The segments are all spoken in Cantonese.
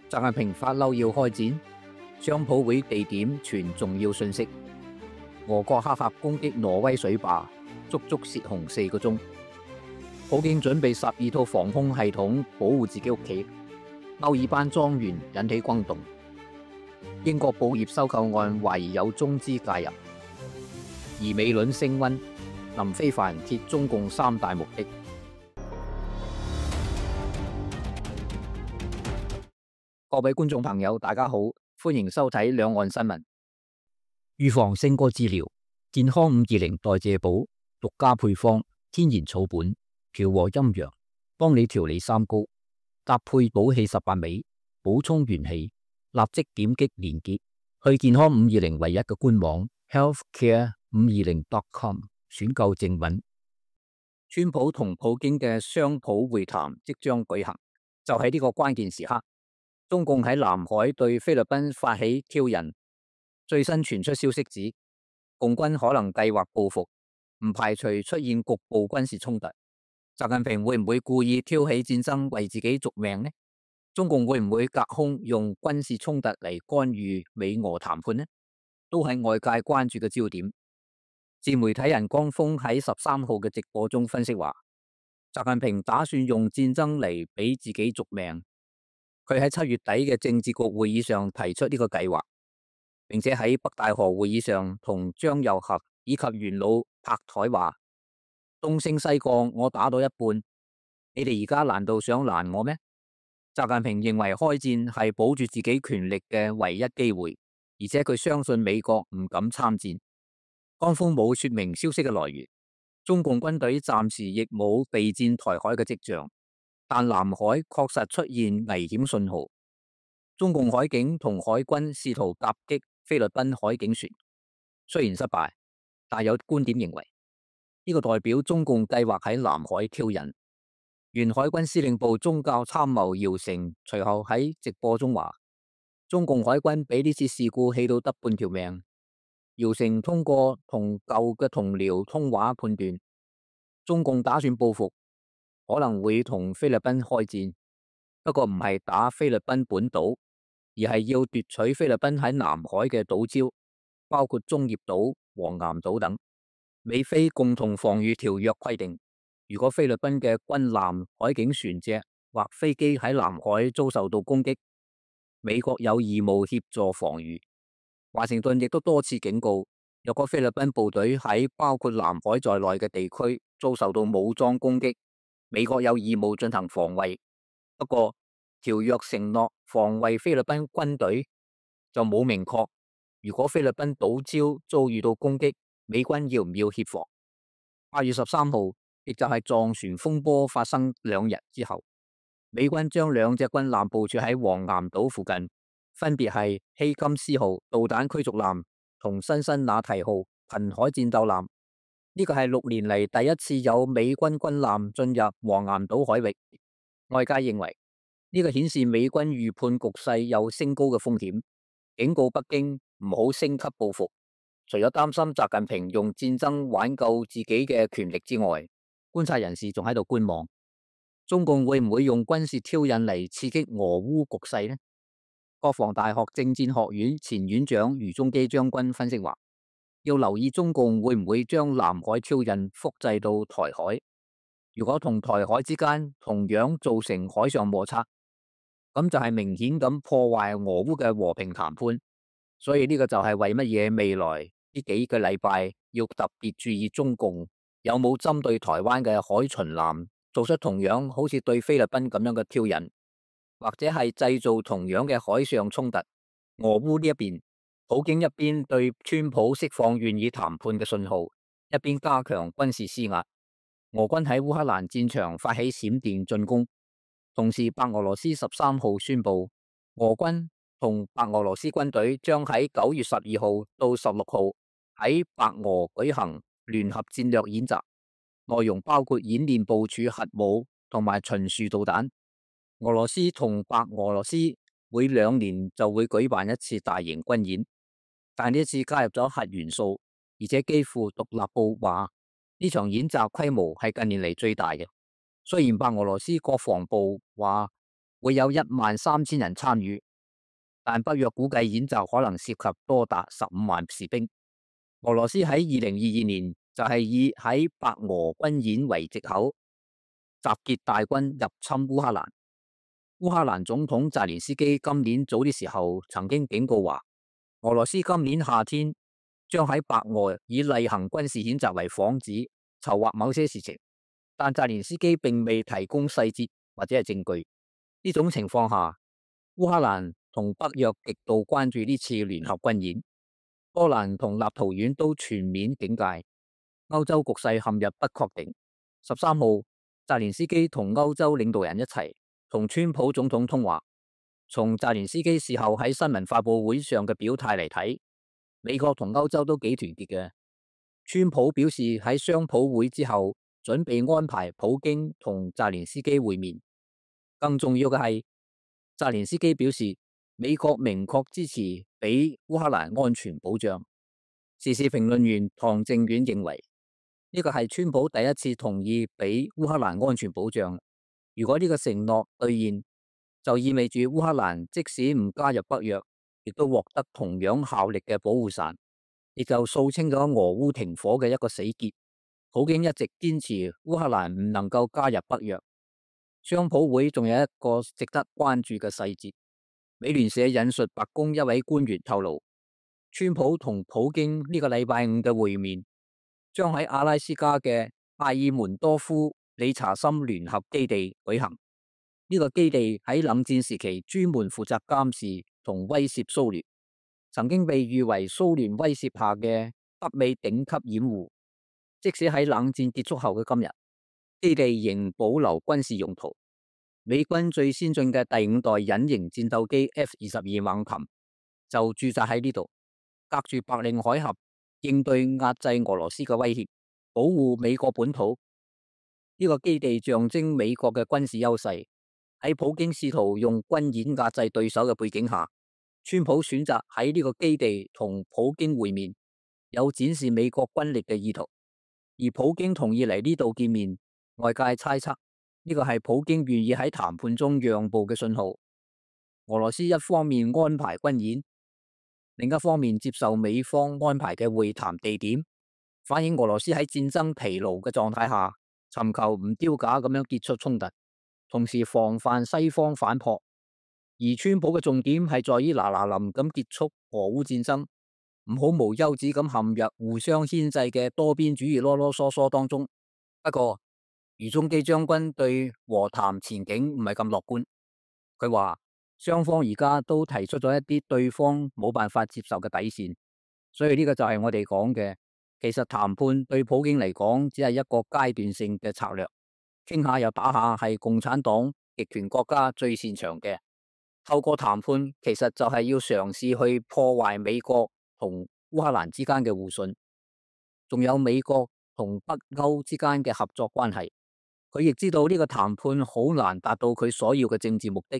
習近平發嬲要開戰，商討會地點傳重要信息。俄國黑客攻擊挪威水壩，足足洩洪4個鐘。普京準備12套防空系統保護自己屋企。歐爾班莊園引起轟動。英國寶業收購案懷疑有中資介入。而美倫升溫，林非凡揭中共3大目的。各位觀眾朋友，大家好，歡迎收睇兩岸新聞。預防勝過治療，健康520代謝寶獨家配方，天然草本，調和陰陽，幫你調理三高，搭配補氣18味，補充元氣。立即點擊連結去健康520唯一嘅官網 healthcare520.com 選購正品。川普同普京嘅商討會談即將舉行，就喺呢個關鍵時刻，中共喺南海對菲律賓發起挑釁。最新傳出消息指，共軍可能計劃報復，唔排除出現局部軍事衝突。習近平會唔會故意挑起戰爭為自己續命呢？中共會唔會隔空用軍事衝突嚟干預美俄談判呢？都係外界關注嘅焦點。自媒體人江峰喺13號嘅直播中分析話，習近平打算用戰爭嚟俾自己續命。佢喺7月底嘅政治局會議上提出呢個計劃，並且喺北大河會議上同張又俠以及元老拍台話：東升西降，我打到一半，你哋而家難道想攔我咩？習近平認為開戰係保住自己權力嘅唯一機會，而且佢相信美國唔敢參戰。江峰冇說明消息嘅來源，中共軍隊暫時亦冇備戰台海嘅跡象，但南海確實出現危險信號。中共海警同海軍試圖夾擊菲律賓海警船，雖然失敗，但有觀點認為呢個代表中共計劃喺南海挑釁。原海軍司令部宗教參謀姚成隨後喺直播中話，中共海軍俾呢次事故氣到得半條命。姚成通過同舊嘅同僚通話判斷，中共打算報復，可能會同菲律賓開戰，不過唔係打菲律賓本島，而係要奪取菲律賓喺南海嘅島礁，包括中業島、黃岩島等。美菲共同防禦條約規定，如果菲律賓嘅軍艦、海警船隻或飛機喺南海遭受到攻擊，美國有義務協助防禦。華盛頓亦都多次警告，若果菲律賓部隊喺包括南海在內嘅地區遭受到武裝攻擊，美國有義務進行防衛。不過，條約承諾防衛菲律賓軍隊就冇明確，如果菲律賓島礁遭遇到攻擊，美軍要唔要協防？8月13號，亦就係撞船風波發生2日之後，美軍將2隻軍艦部署喺黃岩島附近，分別係希金斯號導彈驅逐艦同辛辛那提號瀕海戰鬥艦。呢個係6年嚟第一次有美軍軍艦進入黃岩島海域。外界認為呢個顯示美軍預判局勢有升高嘅風險，警告北京唔好升級報復。除咗擔心習近平用戰爭挽救自己嘅權力之外，觀察人士仲喺度觀望，中共會唔會用軍事挑釁嚟刺激俄烏局勢呢？國防大學政戰學院前院長余宗基將軍分析話，要留意中共會唔會將南海挑釁複製到台海。如果同台海之間同樣造成海上摩擦，咁就係明顯咁破壞俄烏嘅和平談判。所以呢個就係為乜嘢未來呢幾個禮拜要特別注意中共有冇針對台灣嘅海巡艦做出同樣好似對菲律賓咁樣嘅挑釁，或者係製造同樣嘅海上衝突。俄烏呢一邊，普京一邊對川普釋放願意談判嘅信號，一邊加強軍事施壓。俄軍喺烏克蘭戰場發起閃電進攻，同時白俄羅斯13號宣布，俄軍同白俄羅斯軍隊將喺9月12號到16號喺白俄舉行聯合戰略演習，內容包括演練部署核武同埋巡視導彈。俄羅斯同白俄羅斯每2年就會舉辦一次大型軍演，但呢一次加入咗核元素，而且基輔獨立報話呢場演習規模係近年嚟最大嘅。雖然白俄羅斯國防部話會有13000人參與，但北約估計演習可能涉及多達15萬士兵。俄羅斯喺2022年就係以喺白俄軍演為藉口，集結大軍入侵烏克蘭。烏克蘭總統澤連斯基今年早啲時候曾經警告話，俄羅斯今年夏天將喺白俄以例行軍事演習為幌子，籌劃某些事情，但澤連斯基並未提供細節或者係證據。呢種情況下，烏克蘭同北約極度關注呢次聯合軍演，波蘭同立陶宛都全面警戒，歐洲局勢陷入不確定。13號，澤連斯基同歐洲領導人一齊同川普總統通話。從澤連斯基事後喺新聞發佈會上嘅表態嚟睇，美國同歐洲都幾團結嘅。川普表示喺商討會之後，準備安排普京同澤連斯基會面。更重要嘅係，澤連斯基表示美國明確支持俾烏克蘭安全保障。時事評論員唐正遠認為，呢個係川普第一次同意俾烏克蘭安全保障。如果呢個承諾兌現，就意味住烏克蘭即使唔加入北約，亦都獲得同樣效力嘅保護傘，亦就掃清咗俄烏停火嘅一個死結。普京一直堅持烏克蘭唔能夠加入北約。商討會仲有一個值得關注嘅細節，美聯社引述白宮一位官員透露，川普同普京呢個禮拜五嘅會面將喺阿拉斯加嘅阿爾門多夫理查森聯合基地舉行。呢個基地喺冷戰時期專門負責監視同威懾蘇聯，曾經被譽為蘇聯威懾下嘅北美頂級掩護。即使喺冷戰結束後嘅今日，基地仍保留軍事用途。美軍最先進嘅第5代隱形戰鬥機 F-22猛禽就駐紮喺呢度，隔住白令海峽，應對壓制俄羅斯嘅威脅，保護美國本土。呢個基地象徵美國嘅軍事優勢。喺普京試圖用軍演壓制對手嘅背景下，川普選擇喺呢個基地同普京會面，有展示美國軍力嘅意圖。而普京同意嚟呢度見面，外界猜測呢個係普京願意喺談判中讓步嘅信號。俄羅斯一方面安排軍演，另一方面接受美方安排嘅會談地點，反映俄羅斯喺戰爭疲勞嘅狀態下，尋求唔丟架咁樣結束衝突，同時防範西方反撲。而川普嘅重點係在於嗱嗱臨咁結束俄烏戰爭，唔好無休止咁陷入互相牽制嘅多邊主義囉囉嗦嗦當中。不過，余中基將軍對和談前景唔係咁樂觀。佢話雙方而家都提出咗一啲對方冇辦法接受嘅底線，所以呢個就係我哋講嘅，其實談判對普京嚟講只係一個階段性嘅策略，傾下又打下係共產黨極權國家最擅長嘅。透過談判，其實就係要嘗試去破壞美國同烏克蘭之間嘅互信，仲有美國同北歐之間嘅合作關係。佢亦知道呢個談判好難達到佢所要嘅政治目的，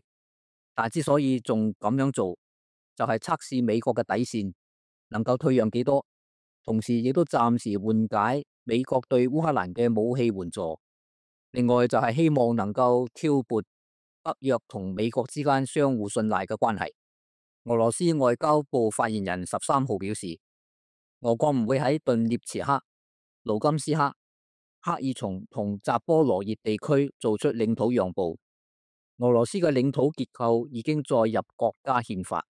但之所以仲咁樣做，就係測試美國嘅底線能夠退讓幾多，同時亦都暫時緩解美國對烏克蘭嘅武器援助。另外就係希望能夠挑撥北約同美國之間相互信賴嘅關係。俄羅斯外交部發言人13號表示，俄國唔會喺頓涅茨克、盧甘斯克、克爾松同扎波羅熱地區做出領土讓步。俄羅斯嘅領土結構已經載入國家憲法。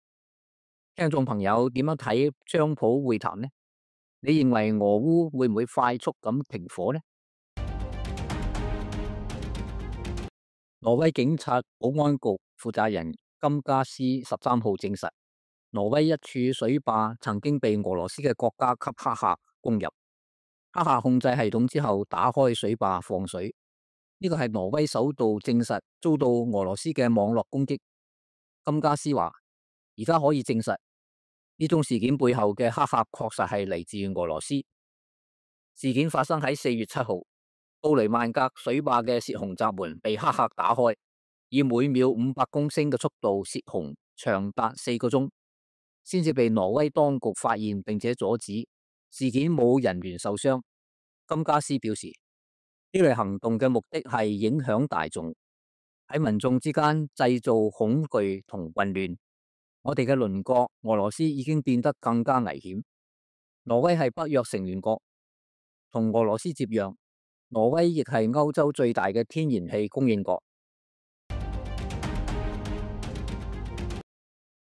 聽眾朋友點樣睇川普會談呢？你認為俄烏會唔會快速咁停火呢？挪威警察保安局負責人金加斯13號證實，挪威一處水壩曾經被俄羅斯嘅國家級黑客攻入，黑客控制系統之後打開水壩放水。呢個係挪威首度證實遭到俄羅斯嘅網絡攻擊。金加斯話，而家可以證實呢宗事件背後嘅黑客確實係嚟自俄羅斯。事件發生喺4月7號。布雷曼格水壩嘅泄洪閘門被黑客打開，以每秒500公升嘅速度泄洪，長達4個鐘，先至被挪威當局發現並且阻止。事件冇人員受傷。金加斯表示，呢類行動嘅目的係影響大眾。喺民眾之間製造恐懼同混亂。我哋嘅鄰國俄羅斯已經變得更加危險。挪威係北約成員國，同俄羅斯接壤，挪威亦係歐洲最大嘅天然氣供應國。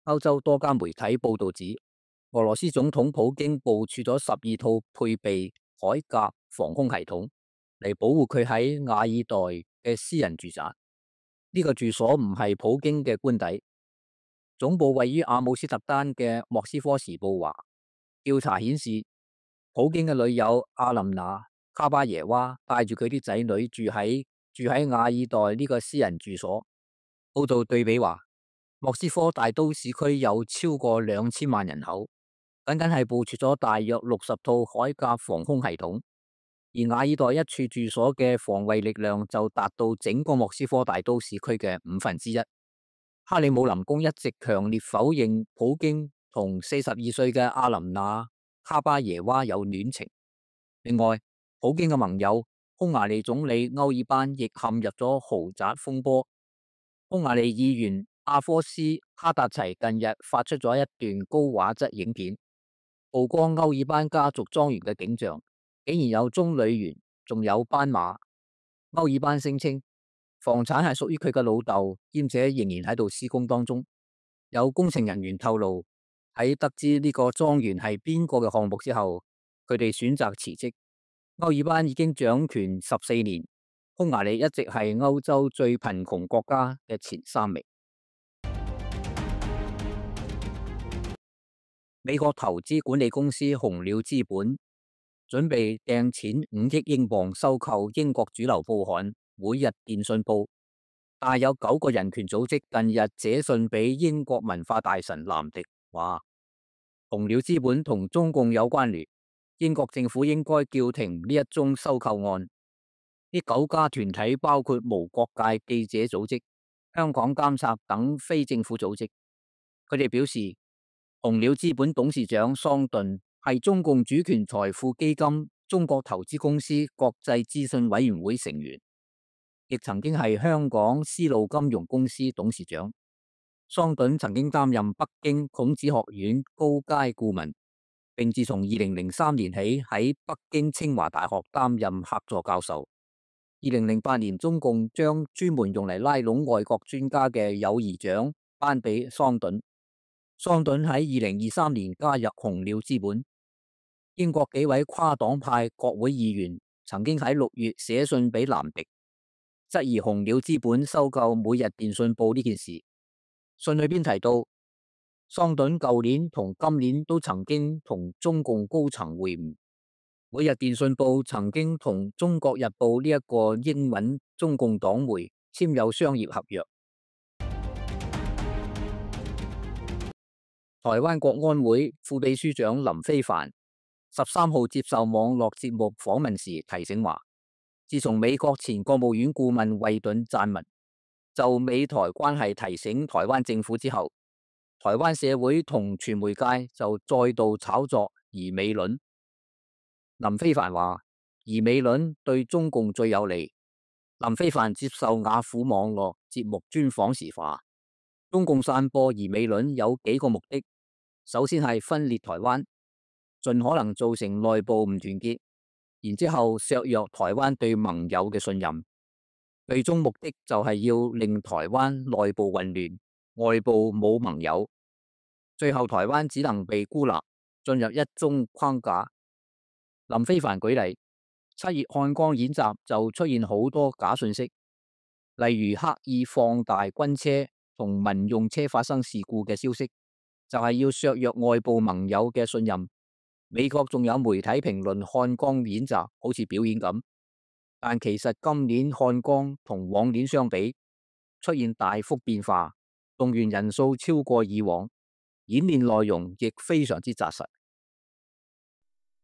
歐洲多家媒體報道指，俄羅斯總統普京部署咗12套配備鎧甲防空系統嚟保護佢喺瓦爾代嘅私人住宅。呢個住所唔係普京嘅官邸，總部位於阿姆斯特丹嘅莫斯科時報話，調查顯示普京嘅女友阿琳娜卡巴耶娃帶住佢啲仔女住喺瓦爾代呢個私人住所。報道對比話，莫斯科大都市區有超過2000萬人口，僅僅係部署咗大約60套鎧甲防空系統，而瓦爾代一處住所嘅防衛力量就達到整個莫斯科大都市區嘅1/5。克里姆林宮一直強烈否認普京同42歲嘅阿琳娜卡巴耶娃有戀情。另外，普京嘅盟友匈牙利總理歐爾班亦陷入咗豪宅風波。匈牙利議員阿科斯哈達齊近日發出咗一段高畫質影片，曝光歐爾班家族莊園嘅景象，竟然有棕櫚園，仲有斑馬。歐爾班聲稱房產係屬於佢嘅老豆，兼且仍然喺度施工當中。有工程人員透露，喺得知呢個莊園係邊個嘅項目之後，佢哋選擇辭職。歐爾班已經掌權14年，匈牙利一直係歐洲最貧窮國家嘅前3名。美國投資管理公司紅鳥資本準備掟錢5億英鎊收購英國主流報刊《每日電訊報》，但有9個人權組織近日寫信俾英國文化大臣藍迪，話紅鳥資本同中共有關聯，英國政府應該叫停呢一宗收購案。呢9家團體包括無國界記者組織、香港監察等非政府組織。佢哋表示，紅鳥資本董事長桑頓係中共主權財富基金中國投資公司國際諮詢委員會成員，亦曾經係香港絲路金融公司董事長。桑頓曾經擔任北京孔子學院高階顧問，並自從2003年起喺北京清華大學擔任客座教授。2008年，中共將專門用嚟拉攏外國專家嘅友誼獎頒俾桑頓。桑頓喺2023年加入紅鳥資本。英國幾位跨黨派國會議員曾經喺6月寫信俾藍迪，質疑紅鳥資本收購每日電訊報呢件事。信裏邊提到，桑頓舊年同今年都曾經同中共高層會晤。每日電訊報曾經同中國日報呢一個英文中共黨媒簽有商業合約。台灣國安會副秘書長林飛帆13號接受網絡節目訪問時提醒話，自從美國前國務院顧問惠頓撰文就美台關係提醒台灣政府之後，台灣社會同傳媒界就再度炒作疑美論。林飛帆話，疑美論對中共最有利。林飛帆接受雅虎網絡節目專訪時話，中共散播疑美論有幾個目的，首先係分裂台灣，盡可能造成內部唔團結，然之後削弱台灣對盟友嘅信任，最終目的就係要令台灣內部混亂，外部冇盟友，最後台灣只能被孤立，進入一中框架。林飛帆舉例，7月漢光演習就出現好多假信息，例如刻意放大軍車同民用車發生事故嘅消息，就係要削弱外部盟友嘅信任。美國仲有媒體評論漢光演習好似表演咁，但其實今年漢光同往年相比出現大幅變化，動員人數超過以往，演練內容亦非常之紮實。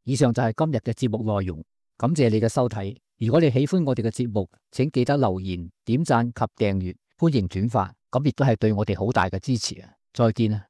以上就係今日嘅節目內容，感謝你嘅收睇。如果你喜歡我哋嘅節目，請記得留言、點讚及訂閱，歡迎轉發，咁亦都係對我哋好大嘅支持啊！再見啊！